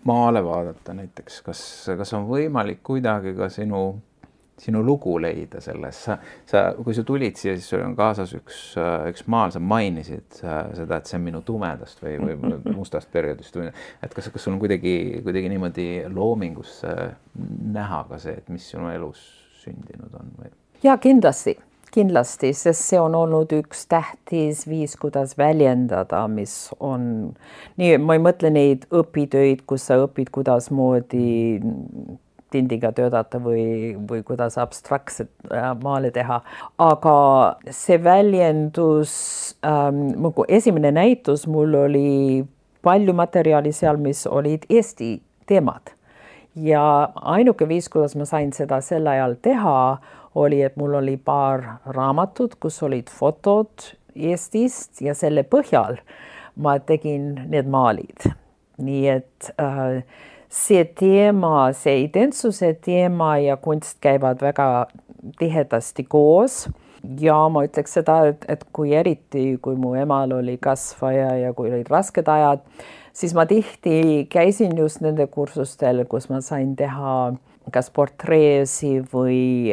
maale vaadata näiteks, kas on võimalik kuidagi ka sinu lugu leida selles? Kui sa tulid siia, siis sul on kaasas üks maal, sa mainisid seda, et see on minu tumedast või mustast perioodist. Et kas sul on kuidagi niimoodi loomingus näha ka see, et mis sinu elus sündinud on? Või? Ja kindlasti, sest see on olnud üks tähtis viis, kuidas väljendada, mis on nii, ma ei mõtle neid õpitöid, kus sa õpid, kuidas moodi tindiga töötada või kuidas abstraktset maale teha. Aga see väljendus, esimene näitus mul oli palju materjali seal, mis olid Eesti teemad. Ja ainuke viis, kuidas ma sain seda sel ajal teha, oli, et mul oli paar raamatut, kus olid fotod Eestist ja selle põhjal ma tegin need maalid. Nii et see teema, see identsuse teema ja kunst käivad väga tihedasti koos. Ja ma ütleks seda, et kui eriti, kui mu emal oli kasvaja ja kui olid rasked ajad, siis ma tihti käisin just nende kursustel, kus ma sain teha kas portreesi või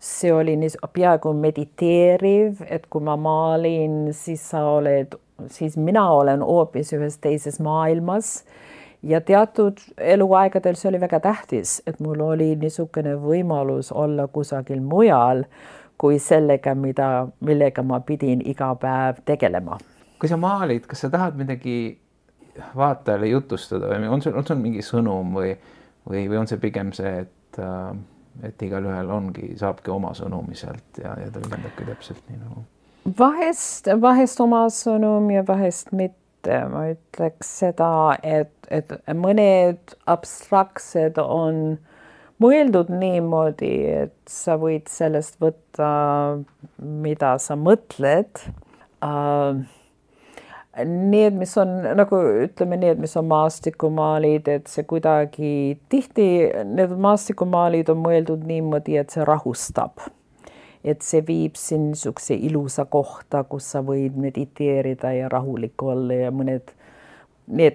see oli peaaegu mediteeriv, et kui ma maalin, siis mina olen hoopis ühes teises maailmas. Ja teatud eluaegadel see oli väga tähtis, et mul oli niisugune võimalus olla kusagil mujal kui sellega, millega ma pidin iga päev tegelema. Kui sa maalid, kas sa tahad midagi vaatajale jutustada või on sul mingi sõnum või on see pigem see, et igal ühel saabki oma sõnumi sealt ja ta väljendabki täpselt nii nagu? Vahest oma sõnum ja vahest mitte. Ma ütleks seda, et mõned abstraktsed on mõeldud niimoodi, et sa võid sellest võtta, mida sa mõtled. Need, mis on, nagu ütleme need, mis on maastikumaalid, et see kuidagi tihti, need maastikumaalid on mõeldud niimoodi, et see rahustab. et see viib sind niisuguse ilusa kohta, kus sa võid mediteerida ja rahulik olla ja need,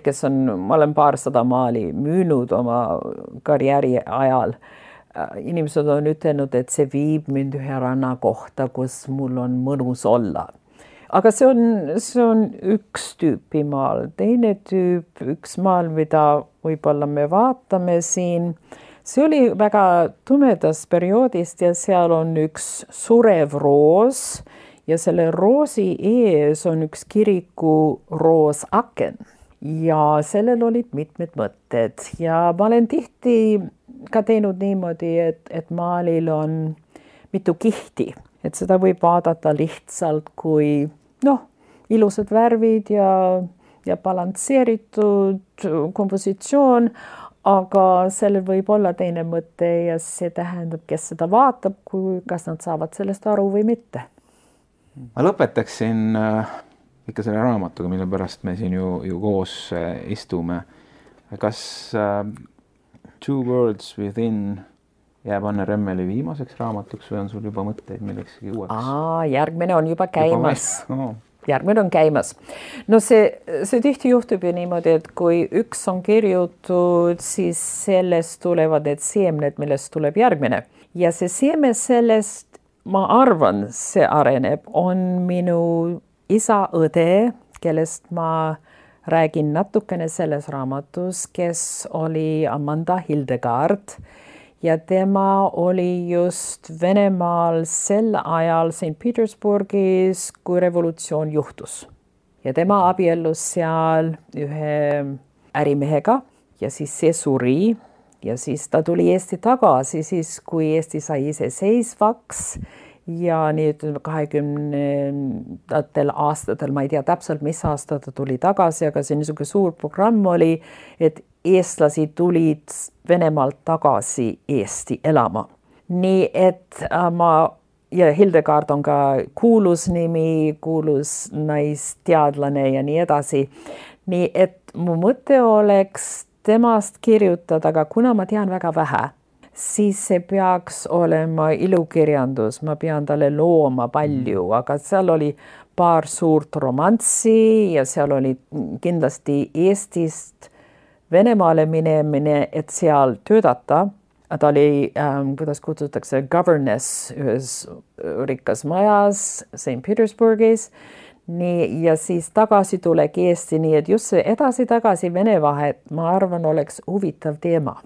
kes ma olen paarsada maali müünud oma karjääri ajal, inimesed on ütelnud, et see viib mind ühe rannakohta, kus mul on mõnus olla. Aga see on üks tüüpi maal. Teine tüüp, üks maal, mida võib-olla me vaatame siin, see oli väga tumedast perioodist ja seal on üks surev roos ja selle roosi ees on üks kiriku roosaken ja sellel olid mitmed mõtted ja ma olen tihti ka teinud niimoodi, et maalil on mitu kihti, et seda võib vaadata lihtsalt kui ilusad värvid ja balansseeritud kompositsioon, aga sellel võib olla teine mõte ja see tähendab, kes seda vaatab, kas nad saavad sellest aru või mitte. Ma lõpetaksin ikka selle raamatuga, mille pärast me siin ju koos istume. Kas Two Worlds Within jääb Anne Remmeli viimaseks raamatuks või on sul juba mõtteid millekski uueks? Järgmine on juba käimas. Järgmine on käimas. No see tihti juhtub ju niimoodi, et kui üks on kirjutud, siis sellest tulevad need seemned, millest tuleb järgmine. Ja see seeme sellest, ma arvan, see areneb, on minu isa õde, kellest ma räägin natukene selles raamatus, kes oli Amanda Hildegard. Ja tema oli just Venemaal sel ajal St. Petersburgis, kui revolutsioon juhtus. Ja tema abiellus seal ühe ärimehega ja siis see suri ja siis ta tuli Eesti tagasi, siis kui Eesti sai iseseisvaks ja nüüd 20. aastatel, ma ei tea täpselt, mis aasta ta tuli tagasi, aga see niisugune suur programm oli, et eestlasi tulid Venemaalt tagasi Eesti elama. Nii et ja Hildegard on ka kuulus nimi, kuulus naisteadlane ja nii edasi. Nii et mu mõte oleks temast kirjutada, aga kuna ma tean väga vähe, siis see peaks olema ilukirjandus, ma pean talle looma palju, aga seal oli paar suurt romanssi ja seal oli kindlasti Eestist Venemaale minemine, et seal töötada. Ta oli, kuidas kutsutakse, governess ühes rikkas majas St. Petersburgis. Nii, ja siis tagasi tulek Eesti, nii et just see edasi-tagasi Vene vahet, ma arvan, oleks huvitav teema.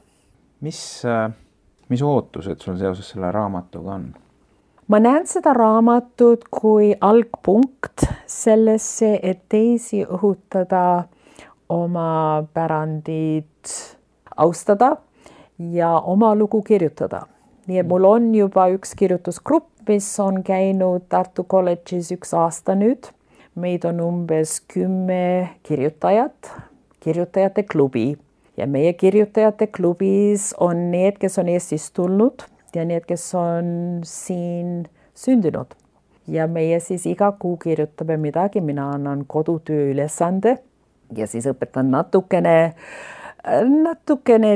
Mis ootused sul seoses selle raamatuga on? Ma näen seda raamatut kui algpunkt sellesse, et teisi õhutada oma pärandit austada ja oma lugu kirjutada. Nii et mul on juba üks kirjutusgrupp, mis on käinud Tartu kolledžis 1 aasta nüüd. Meid on umbes 10 kirjutajat, kirjutajate klubi. Ja meie kirjutajate klubis on need, kes on Eestist tulnud ja need, kes on siin sündinud. Ja meie siis iga kuu kirjutame midagi, mina annan kodutöö ülesande. Ja siis õpetan natukene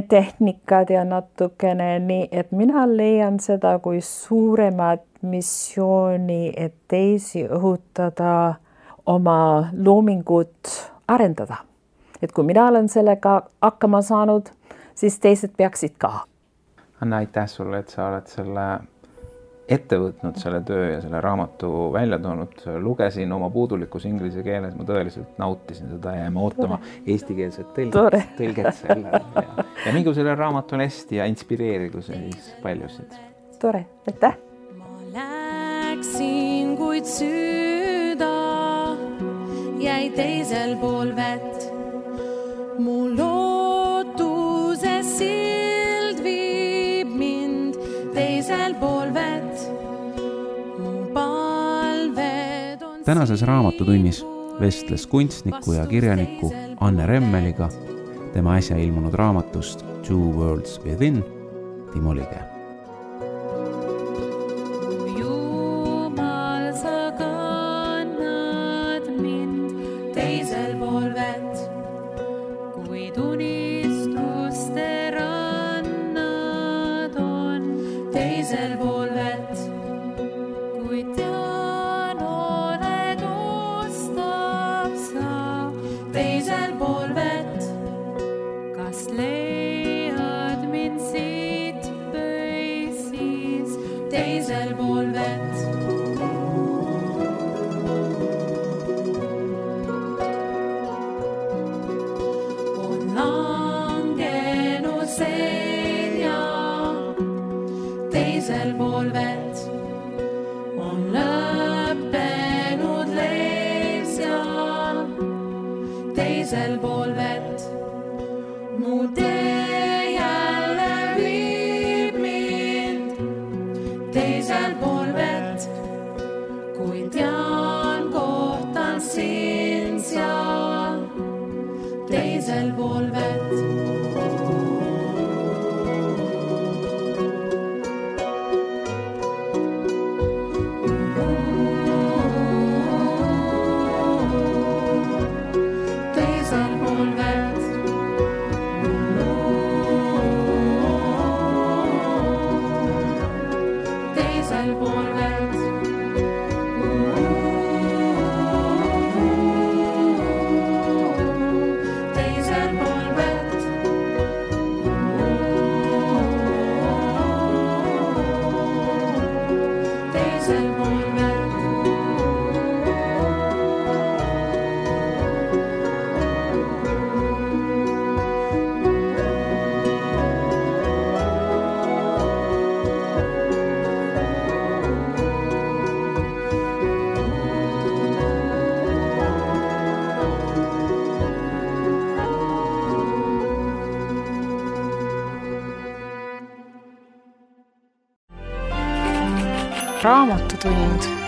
tehnikat ja natukene nii, et mina leian seda kui suuremat missiooni, et teisi õhutada oma loomingut arendada. Et kui mina olen sellega hakkama saanud, siis teised peaksid ka. Anna, aitäh sulle, et sa oled selle ette võtnud selle töö ja selle raamatu välja toonud. Lugesin oma puudulikus inglise keeles, ma tõeliselt nautisin seda ja jääme ootama eestikeelset tõlget selle. Ja mingu selle raamatule hästi ja inspireerigu see siis paljusid. Tore, aitäh! Ma läksin, kuid süda jäi teisel pool vett. Mu lootuse sild viib mind teisel pool vett. Tänases raamatutunnis vestles kunstniku ja kirjaniku Anne Remmeliga tema äsja ilmunud raamatust Two Worlds Within Timo Lige. Jumal, sa kannad mind teisel pool vett, kuid unistuste rannad on teisel pool vett. kui tean, oled ustav sa teisel pool vett. Kas leiad mind siit või siis teisel pool vett? On langenud selja teisel pool vett. On lõppenud leil seal teisel pool vett. Mu tee jälle viib mind teisel pool vett. Kui tean, kohtan sind seal teisel pool vett. Teisel pool vett. Teisel pool vett. Teisel pool vett. Teisel pool vett. Raamatutund.